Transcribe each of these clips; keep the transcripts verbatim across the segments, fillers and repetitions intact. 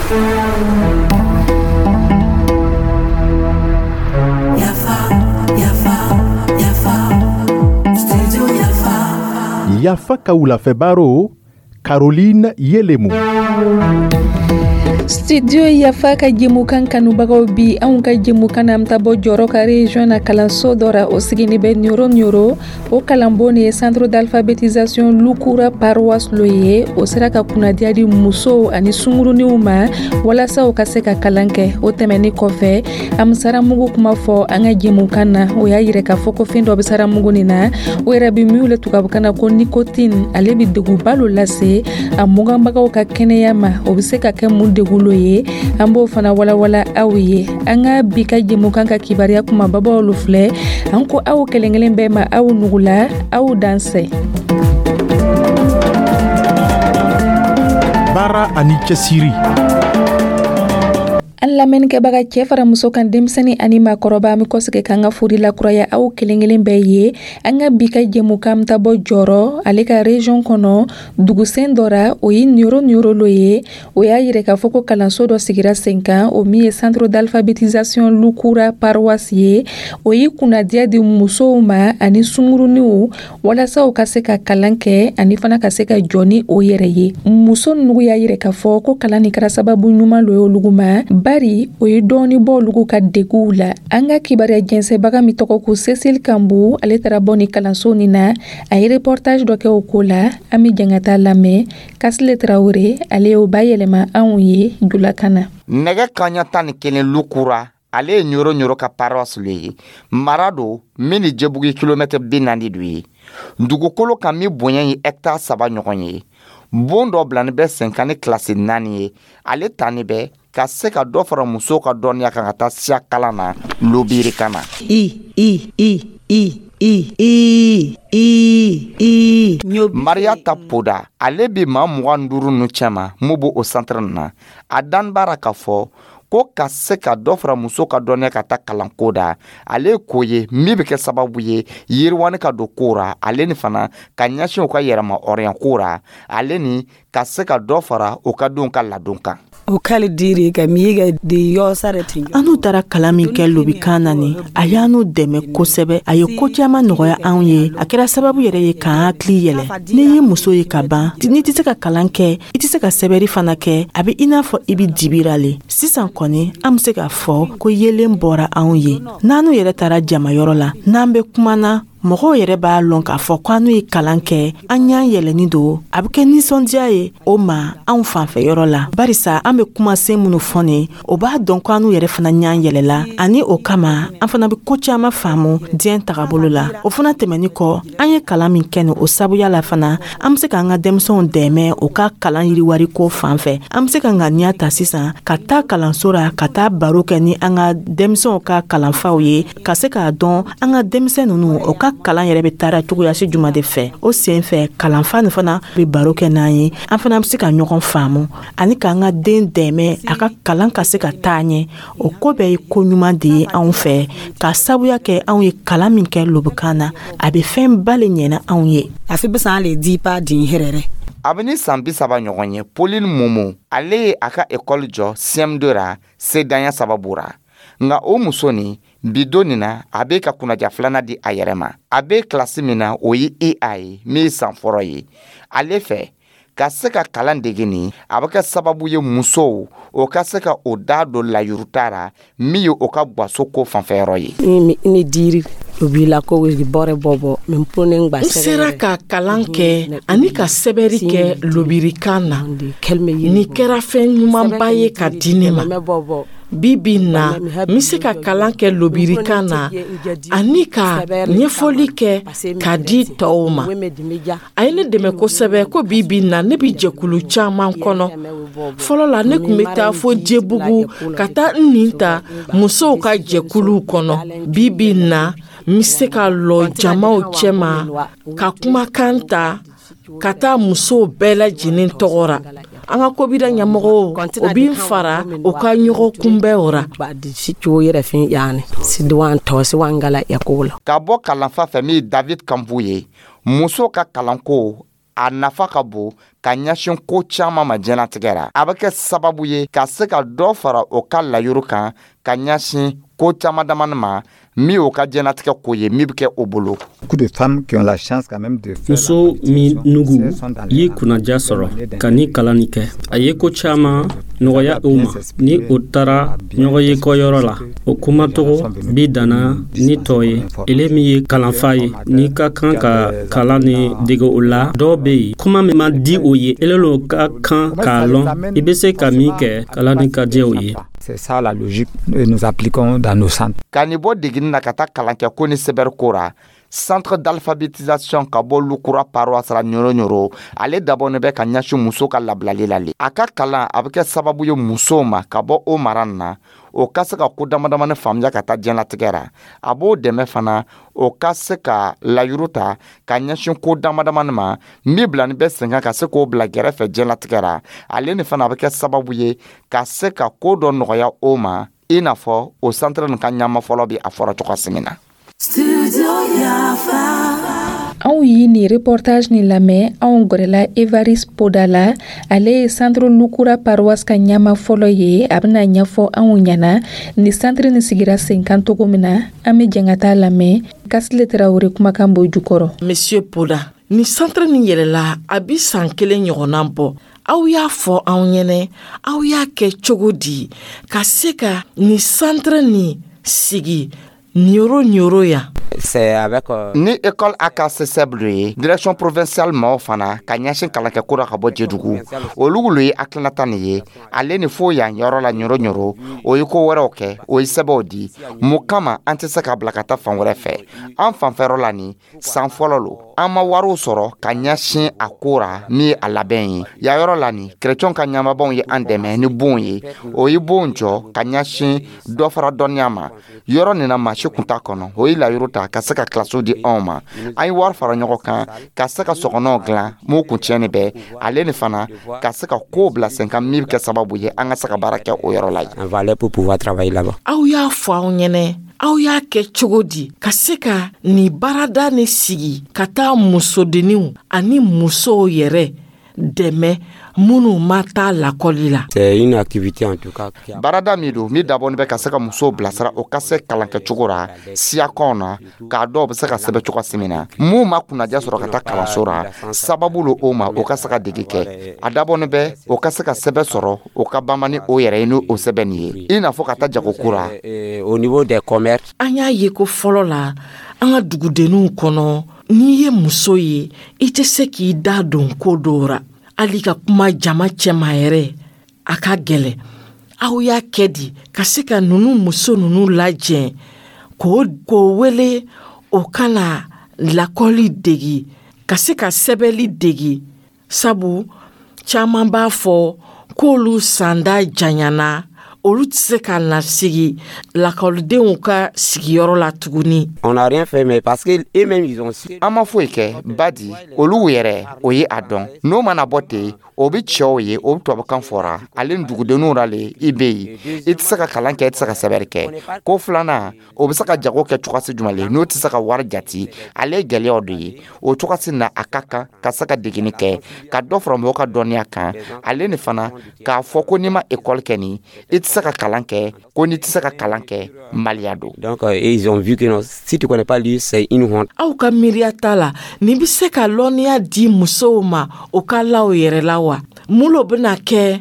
Yafa, yafa, yafa, studio Yafa. Yafa ka wulafɛ baro, Caroline Yelemu. Studio Yafa ka jɛmukan kanubagaw, bi anw ka jɛmukan na, an ta bɔ Jɔrɔ ka région na, kalanso dɔ ra, o sigini bɛ Ɲoro. Ɲoro, o kalanbon de ye Centre d'alphabétisation Lukura paroisse lo ye. O sera ka kunnadiya di musow ani sunguruniw ma walasa u ka se ka kalan kɛ. O tɛmɛni kɔfɛ, an bɛ saramugu kuma fɔ an ka jɛmukan na. O y'a yira k'a fɔ ko fɛn dɔ bɛ saramugu nin na, o yɛrɛ bɛ min wele tubabukan na ko nicotine. Ale bɛ degunba lo lase a muganbagaw ka kɛnɛya ma. O bɛ se ka kɛ mun degun lo ye? An b'o fana walawala aw ye. An ka bi ka jɛmukan ka kibaruya kumababaw lo filɛ. An ko aw kelen kelen bɛɛ ma, aw nugula, aw dansɛ. Baara ani cɛsiri. An lamɛnnikɛbaga, cɛɛ fara muso kan, denmisɛni ani maakɔrɔba, an be kɔsegi k'an ka fori lakuraya aw kelen kelen bɛɛ ye. An ka bi ka jɛmukan ta bɔ Jɔrɔ, ale ka région kɔnɔ, dugusen dɔ ra, o ye Ɲoro. Ɲoro lo ye. O y'a yira k'a fɔ ko kalanso dɔ sigira sen kan, o min ye Centre d'alphabétisation Lukura paroisse ye. O ye kunnadiya di musow ma ani sunguruniw walasa u ka se ka kalan kɛ ani fana ka se ka jɔ ni o yɛrɛ ye. Muso nugu y'a yira k'a fɔ ko kalan nin kɛra sababu ɲuman lo ye olugu ma, bari o ye dɔɔni bɔ olugu ka deguw la. An ka kibaruya jɛnsɛbaga min tɔgɔ ko Cécile Kambu, ale taara bɔ ni kalanso nin na, a ye reportage dɔ kɛ o ko la. An be jɛn ka taa lamɛn. Kasile Tarawure, ale y'o bayɛlɛma anw ye julakan na. Nɛgɛ kaɲa tan ni kelen, Lukura, ale ye Ɲoro. Ɲoro ka paroisse le ye, mara do min ni Jebugu kilomɛtɛ bi naani do ye, dugukolo kan min bonya ye hɛkitari saba ɲɔgɔn ye. Bon dɔ bilani bɛ sen kan ni kilasi naani ye, ale tani bɛ ka se ka dɔ fara musow ka dɔnniya kan ka taa siya kalan na lobirikan na. I I I I I I I I. Mariyata Poda, ale bi maa mugan duuru nu cɛma mun b'o o centre na. A dan b'ara k'a fɔ ko ka se ka dɔ fara muso ka dɔnniya ka taa kalanko da, ale ye ko ye min bɛ kɛ sababu ye yiriwani ka don ko ra, ale ni fana ka ɲɛsin u ka yɛrɛma hɔrɔnya ko ra, ale ni ka se ka dɔ fara u ka denw ka ladon kan. O kali diri ka miiga di yɔsare tin. An n'u taara kalan min kɛ lobikan na nin, a y'an dɛmɛ kosɛbɛ. A ye ko caman nɔgɔya anw ye. A kɛra sababu yɛrɛ ye k'an hakili yɛlɛ. N'i ye muso ye ka ban, n'i tɛ se ka kalan kɛ, i tɛ se ka sɛbɛri fana kɛ, a bɛ i n'a fɔ i bɛ dibira le. Sisan kɔni, an bɛ se k'a fɔ ko yelen bɔra anw ye. N'an yɛrɛ taara jamayɔrɔ la, n'an bɛ kuma na, mɔgɔw yɛrɛ b'a lɔn k'a fɔ ko an n'u ye kalan kɛ, an y'an yɛlɛni don. A bɛ kɛ nisɔndiya ye o ma anw fanfɛyɔrɔ la, barisa an bɛ kumasen minnu fɔ nin, o b'a dɔn ko an n'u yɛrɛ fana ɲan yɛlɛla. Ani o kama, an fana bɛ ko caman faamu diɲɛ tagabolo la. O fana tɛmɛni kɔ, an ye kalan min kɛ nin, o sabuya la fana, an bɛ se k'an ka denmisɛnw dɛmɛ u ka kalan yiriwari ko fan fɛ. An bɛ se ka ŋaniya ta sisan ka taa kalanso la, ka taa baro kɛ ni an ka denmisɛnw ka kalanfaw ye, ka se k'a dɔn an ka denmisɛn ninnu, o ka kalan yɛrɛ bɛ taara cogoyasi juma de fɛ. O sen fɛ, kalanfa nin fana bɛ baro kɛ n'an ye, an fana bɛ se ka ɲɔgɔn faamu ani k'an ka den dɛmɛ a ka kalan ka se ka taa ɲɛ. O ko bɛɛ ye ko ɲuman de ye anw fɛ, k'a sabuya kɛ anw ye kalan min kɛ lobukan na, a bɛ fɛn ba le ɲɛna anw ye. A fi bisan le di pa din hɛrɛrɛ. A bɛ ni san bi saba ɲɔgɔn ye, Pauline Momo, ale ye a ka ekɔli jɔ C M deux ra sedanya sababu ra. Nka o muso nin, bi don nin na, a bɛ ka kunnaja filanan di a yɛrɛ ma. A bɛ kilasi min na, o ye E A ye, min ye san fɔlɔ ye. Ale fɛ, ka se ka kalan dege nin, a bɛ kɛ sababu ye musow o ka se ka o da don layuruta ra, min ye o ka gaso ko fanfɛyɔrɔ ye. Ni diri la ko bɔrɛ bɔ bɔ N sera ka kalan kɛ ani ka sɛbɛri kɛ lobirikan na. Nin kɛra fɛn ɲumanba ye ka di ne ma. Bi bi na, n bɛ se ka kalan kɛ lobirikan na ani ka ɲɛfɔli kɛ ka di tɔw ma. A ye ne dɛmɛ kosɛbɛ ko bi bi na, ne bɛ jɛkulu caman kɔnɔ. Fɔlɔ la, ne tun bɛ taa fo Jebugu ka taa n nin ta musow ka jɛkuluw kɔnɔ. Bi bi na, n bɛ se ka lɔ jamaw cɛma ka kumakan ta ka taa musow bɛɛ lajɛlen tɔgɔ ra. An ka kobida ɲɛmɔgɔw, o bɛ fara u ka ɲɔgɔn kunbɛn ra. Ka bɔ kalanfa fɛ min David Kanbu ye, muso ka kalanko. A nafa ka bon ka ɲɛsin ko caman ma diɲɛlatigɛ ra. A bɛ kɛ sababu ye ka se ka dɔ fara o ka layuru kan ka ɲɛsin ko caman damani ma, min y'o ka diɲɛlatigɛ ko ye, min bɛ kɛ o bolo. Muso minugu ye kunnaja sɔrɔ ka ni kalan nin kɛ, a ye ko caman nɔgɔya u ma. Ni o taara ɲɔgɔn ye kɔyɔrɔ la, o kumacogo bi danna ni tɔ ye. Ele min ye kalanfa ye, n'i ka kan ka kalan ni dege o la, dɔw be yen, kuma min man di o ye, ele lo ka kan k'a lɔn i be se ka min kɛ kalan ni ka diya o ye. C'est ça la logique que nous appliquons dans nos centres. Ka nin bɔ degini na ka taa kalankɛ ko ni sɛbɛri ko ra, centre d'alphabétisation ka bɔ Lukura paroisse la Ɲoro Ɲoro, ale dabɔnin bɛ ka ɲɛsin muso ka labilali la le. A ka kalan a bɛ kɛ sababu ye musow ma ka bɔ o mara nin na, o ka se ka ko dama damani faamuya ka taa diɲɛlatigɛ ra. A b'o dɛmɛ fana, o ka se ka layuru ta ka ɲɛsin ko dama damani ma min bilani bɛ sen kan ka se k'o bila gɛrɛfɛ diɲɛlatigɛ ra. Ale ni fana a bɛ kɛ sababu ye ka se ka ko dɔ nɔgɔya o ma, i n'a fɔ o centre nin ka ɲama fɔlɔ bi a fɔra cogoya min na. Anw ye nin reportage nin lamɛn, anw gwɛrɛla Evariste Poda la. Ale ye centre Lukura paroisse ka ɲama fɔlɔ ye. A bɛna ɲɛfɔ anw ɲɛna ni centre nin sigira sen kan cogo min na. An bɛ jɛn ka taa lamɛn. Kasile Tarawele kumakan b'o jukɔrɔ. Monsieur Poda, ni centre nin yɛlɛla, a bi san kelen ɲɔgɔnna bɔ. Aw y'a fɔ anw ɲɛnɛ, aw y'a kɛ cogo di ka se ka ni centre nin sigi Nioro Nioro yan? Euh, ni école A K C S E B lo ye, direction provinciale maaw fana ka ɲɛsin kalankɛko ra ka bɔ Jedugu, olu lo ye hakilinata nin ye. Ale ni fo yan yɔrɔ la Ɲoro Ɲoro, o ye ko wɛrɛw kɛ, o ye sɛbɛw di. Mun kama an tɛ se ka bila ka taa fan wɛrɛ fɛ? An fanfɛyɔrɔ la nin san fɔlɔ lo, an ma wariw sɔrɔ ka ɲɛsin a ko ra min ye a labɛn ye. Yan yɔrɔ la nin, kerecɛnw ka ɲamabaw ye an dɛmɛ ni bon ye. O ye bon jɔ ka ɲɛsin dɔ fara dɔnniya ma. Yɔrɔ nin na, maa si kun t'a kɔnɔ. O ye layuru ta ka se ka kilasiw di anw ma. An ye wari fara ɲɔgɔn kan ka se ka sɔgɔnɔw dilan m'o kun tiɲɛni bɛɛ. Ale ni fana ka se ka kow bila sen kan min bɛ kɛ sababu ye an ka se ka baara kɛ o yɔrɔ la yen. Aw y'a fɔ anw ɲɛnɛ, aw y'a kɛ cogo di ka se ka nin baarada ni sigi ka taa musodenninw ani musow yɛrɛ dɛmɛ minnu ma taa lakɔli la? Baarada min don, min dabɔnin bɛ ka se ka musow bilasira, o ka se kalankɛcogo ra siyakɔnw na, k'a dɔw bɛ se ka sɛbɛn cogo min na. Mun ma kunnaja sɔrɔ ka taa kalanso ra, sababu lo o ma o ka se ka dege kɛ. A dabɔnin bɛ o ka se ka sɛbɛn sɔrɔ, o ka banba ni o yɛrɛ ye ni o sɛbɛn nin ye, i n'a fɔ ka taa jagoko ra. An y'a ye ko fɔlɔ la, an ka dugudenninw kɔnɔ, n'i ye muso ye, i tɛ se k'i da don ko dɔw ra, hali ka kuma jama cɛma yɛrɛ, a ka gɛlɛ. Aw y'a kɛ di ka se ka nunu muso nunu lajɛ k'o k'o wele o kana lakɔli degi, ka se ka sɛbɛli degi, sabu caman b'a fɔ k'olu sanda janyana, olu tɛ se ka na sigi lakɔlidenw ka sigiyɔrɔ la tuguni? An ma foyi kɛ badi, olu yɛrɛ o ye a dɔn. N'o mana bɔ ten, o bɛ cɛw ye, o bɛ tubabukan fɔra ale ni dugudenninw ra le. I bɛ yen, i tɛ se ka kalan kɛ, i tɛ se ka sɛbɛnni kɛ. Ko filanan, o bɛ se ka jago kɛ cogosi jumɛn le n'o tɛ se ka wari jati? Ale ye gɛlɛyaw de ye. O cogosi na, a ka kan ka se ka degeni kɛ ka dɔ fara mɔgɔw ka dɔnniya kan. Ale ni fana k'a fɔ ko n'i ma ekɔli kɛ nin, i tɛ se ka kalan kɛ, ko n'i tɛ se ka kalan kɛ, maliya don. Donc, euh, ils ont vu que non, si tu connais pas lire, c'est une honte. Aw ka miiriya t'a la, nin bɛ se ka lɔnniya di musow ma o ka la o yɛrɛ la wa? Mun lo bɛna kɛ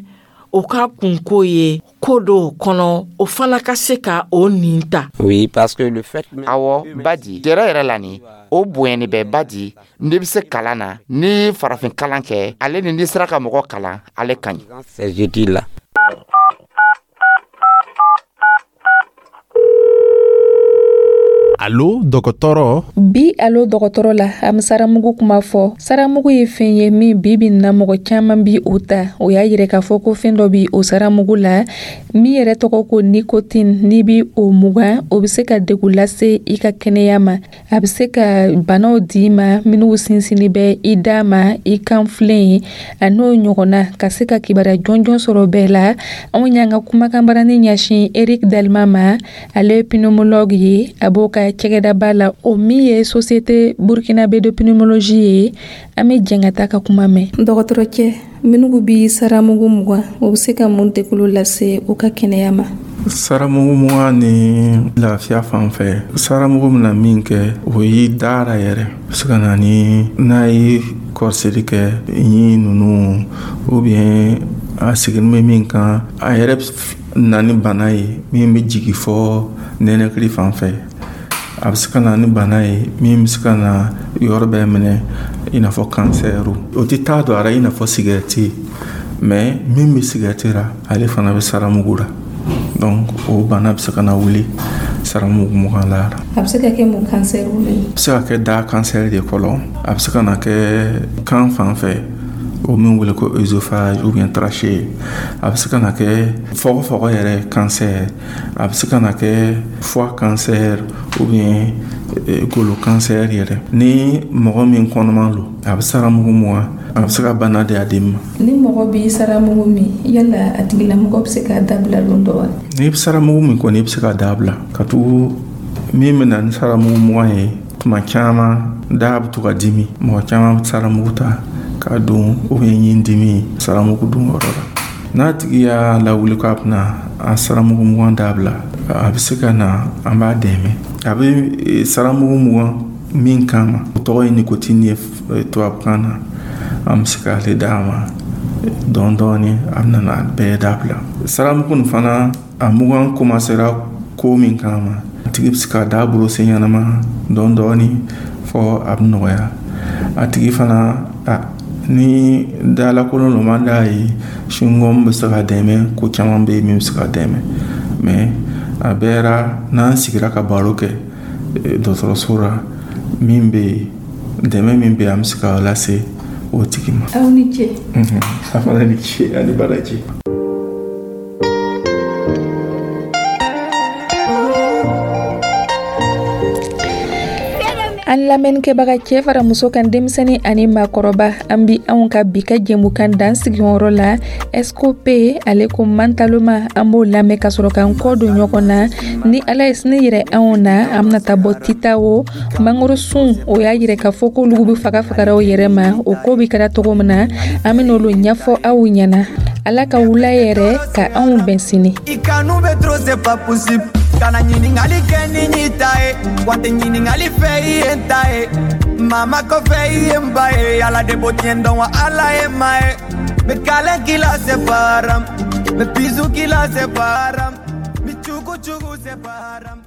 o ka kunko ye ko dɔw kɔnɔ, o fana ka se ka o nin ta? Oui, parce que le fait Awɔ, badi yɛrɛ yɛrɛ la nin, o bonyani bɛ badi. N'i bɛ se kalan na, n'i ye farafin kalan kɛ, ale ni n'i sera ka mɔgɔ kalan, ale ka ɲi. Ces études-là. Alo dɔgɔtɔrɔ. Bi alo dɔgɔtɔrɔ la, an bɛ saramugu kuma fɔ. Saramugu ye fɛn ye min bi bi na mɔgɔ caman bi o ta. O y'a yira k'a fɔ ko fɛn dɔ bi o saramugu la min yɛrɛ tɔgɔ ko nicotine. N'i bi o mugan, o bɛ se ka degun lase i ka kɛnɛya ma. A bɛ se ka banaw d'i ma minnu sinsinni bɛ i da ma, i kanfilen ye, a n'o ɲɔgɔnna. Ka se ka kibaruya jɔnjɔn sɔrɔ bɛɛ la, anw y'an ka kumakanbarani ɲɛsin Eric Dalma ma. Ale ye pneumologue ye, a b'o ka cɛgɛdaba la, o min ye Société burkinabé de pneumologie ye. An bɛ jɛn ka taa ka kuma mɛn. Dɔgɔtɔrɔcɛ, minnu bi saramugu mugan, o bɛ se ka mun dekulu lase u ka kɛnɛya ma? Saramugu mugan ni lafiya fan fɛ, saramugu bɛna min kɛ, o y'i dara yɛrɛ bɛ se ka na ni n'a ye kɔrɔsiri kɛ ɲi ninnu ou bien a sigilen bɛ min kan, a yɛrɛ na ni bana ye min bɛ jigin fɔ nɛnɛkili fan fɛ. A bɛ se ka na ni bana ye min bɛ se ka na yɔrɔ bɛɛ minɛ, i n'a fɔ kansɛriw. O tɛ taa don a la i n'a fɔ sigɛriti, mais min bɛ sigɛriti la, ale fana bɛ saramugu la. Donc o bana bɛ se ka na wuli saramugu mugan la. A bɛ se ka kɛ mun kansɛriw ye? A bɛ se ka kɛ da kansɛri de fɔlɔ, a bɛ se ka na kɛ kan fan fɛ, o min wele ko œsophage ou bien trachée, a bɛ se ka na kɛ fɔgɔfɔgɔ yɛrɛ kansɛr, a bɛ se ka na kɛ foie cancer ou bien golo cancer yɛrɛ. Ni mɔgɔ min kɔnɔman don, a bɛ saramugu mugan, a bɛ se ka bana di a den ma. Ni mɔgɔ b'i saramugu min, yala a tigilamɔgɔ bɛ se k'a dabila don dɔ wa? N'i bɛ saramugu min kɔni, i bɛ se k'a dabila, ka tugu min bɛ na ni saramugu mugan ye, tuma caman da bɛ to ka dimi. Mɔgɔ caman bɛ saramugu ta k'a don ou bien ɲin dimi saramugu dun yɔrɔ la. N'a tigi y'a lawuli k'a bɛna a saramugu mugan dabila, a bɛ se ka na, an b'a dɛmɛ. A bɛ saramugu mugan min kama, o tɔgɔ ye nicotine ye tubabukan na, an bɛ se k'ale d'a ma dɔɔni dɔɔni, a bɛna n'a bɛɛ dabila. Saramugu nin fana, a mugan commencera ko min kama, a tigi bɛ se k'a da brosser ɲɛnama dɔɔni dɔɔni fɔ a bɛ nɔgɔya. A tigi fana, a ni dalakolon dɔ man d'a ye, chewing-gum bɛ se ka dɛmɛ, ko caman bɛ yen min bɛ se ka dɛmɛ. Mais a bɛɛ ra, n'an sigira ka baro kɛ dɔgɔtɔrɔso la, min bɛ yen, dɛmɛ min bɛ yen, an bɛ se k'a lase o tigi ma. Aw ni ce. A fana ni ce ani baraji. An lamɛnnikɛbaga, cɛ fara muso kan, denmisɛnnin ani maakɔrɔba, an bi anw ka bi ka jɛmukan dan sigiyɔrɔ la. S K P ale ko mantaloma, an b'o lamɛn ka sɔrɔ k'an kɔ don ɲɔgɔn na. Ni Ala ye sini yɛrɛ anw na, an bɛna taa bɔ Titawo mangoro sun. O y'a yɛrɛ k'a fɔ k'olu bɛ faga fagara o yɛrɛ ma. O ko bɛ kɛra cogo min na, an bɛ n'olu ɲɛfɔ aw ɲɛna. Ala ka wula yɛrɛ ka anw bɛn sini. I kanu bɛ trop, c'est pas possible. Kana ɲininkali kɛ ni ɲi ta ye, wa tɛ ɲininkali fɛ i ye n ta ye. Mama kɔfɛ i ye n ba ye, Ala de b'o tiɲɛ dɔn wa Ala ye maa ye. N bɛ câlin k'i la, c'est pas haram. N bɛ bisou k'i la, c'est pas haram. N bɛ cugu cugu, c'est pas haram.